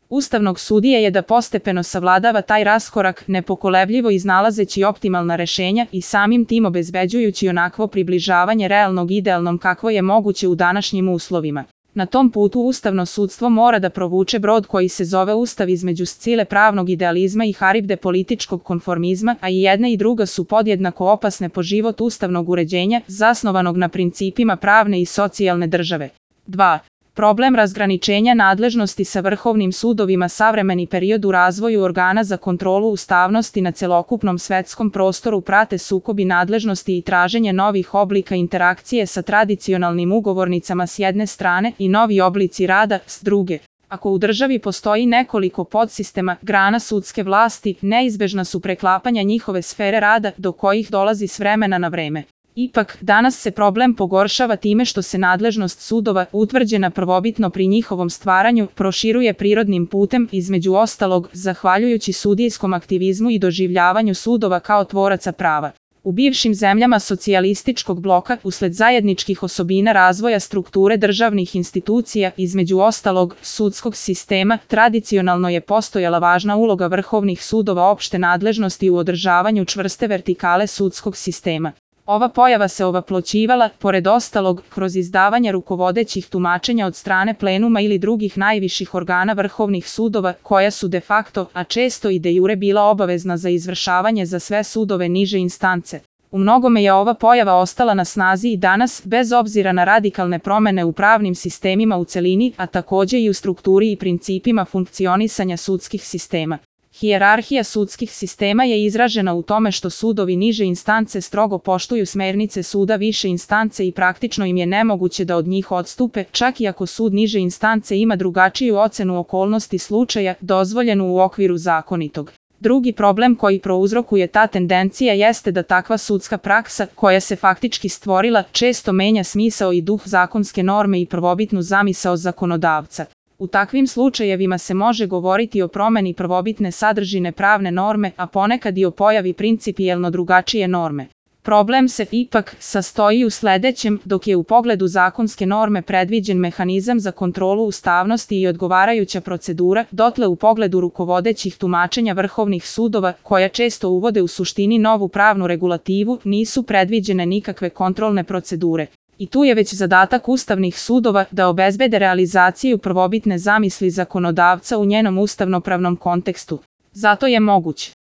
ustavnog sudije je da postepeno savladava taj raskorak, nepokolebljivo iznalazeći optimalna rešenja i samim tim obezbeđujući onakvo približavanje realnog idealnom kakvo je moguće u današnjim uslovima. Na tom putu ustavno sudstvo mora da provuče brod koji se zove Ustav između scile pravnog idealizma i haribde političkog konformizma, a i jedna i druga su podjednako opasne po život ustavnog uređenja, zasnovanog na principima pravne i socijalne države. 2. Problem razgraničenja nadležnosti sa vrhovnim sudovima. Savremeni period u razvoju organa za kontrolu ustavnosti na celokupnom svetskom prostoru prate sukobi nadležnosti i traženje novih oblika interakcije sa tradicionalnim ugovornicama s jedne strane i novi oblici rada s druge. Ako u državi postoji nekoliko podsistema, grana sudske vlasti, neizbežna su preklapanja njihove sfere rada do kojih dolazi s vremena na vreme. Ipak, danas se problem pogoršava time što se nadležnost sudova, utvrđena prvobitno pri njihovom stvaranju, proširuje prirodnim putem, između ostalog, zahvaljujući sudijskom aktivizmu i doživljavanju sudova kao tvoraca prava. U bivšim zemljama socijalističkog bloka, usled zajedničkih osobina razvoja strukture državnih institucija, između ostalog, sudskog sistema, tradicionalno je postojala važna uloga vrhovnih sudova opšte nadležnosti u održavanju čvrste vertikale sudskog sistema. Ova pojava se ovaploćivala, pored ostalog, kroz izdavanje rukovodećih tumačenja od strane plenuma ili drugih najviših organa vrhovnih sudova, koja su de facto, a često i de jure bila obavezna za izvršavanje za sve sudove niže instance. U mnogome je ova pojava ostala na snazi i danas, bez obzira na radikalne promene u pravnim sistemima u celini, a takođe i u strukturi i principima funkcionisanja sudskih sistema. Hijerarhija sudskih sistema je izražena u tome što sudovi niže instance strogo poštuju smernice suda više instance i praktično im je nemoguće da od njih odstupe, čak i ako sud niže instance ima drugačiju ocenu okolnosti slučaja, dozvoljenu u okviru zakonitog. Drugi problem koji prouzrokuje ta tendencija jeste da takva sudska praksa, koja se faktički stvorila, često menja smisao i duh zakonske norme i prvobitnu zamisao zakonodavca. U takvim slučajevima se može govoriti o promeni prvobitne sadržine pravne norme, a ponekad i o pojavi principijelno drugačije norme. Problem se ipak sastoji u sledećem, dok je u pogledu zakonske norme predviđen mehanizam za kontrolu ustavnosti i odgovarajuća procedura, dotle u pogledu rukovodećih tumačenja vrhovnih sudova, koja često uvode u suštini novu pravnu regulativu, nisu predviđene nikakve kontrolne procedure. I tu je već zadatak ustavnih sudova da obezbede realizaciju prvobitne zamisli zakonodavca u njenom ustavnopravnom kontekstu. Zato je moguć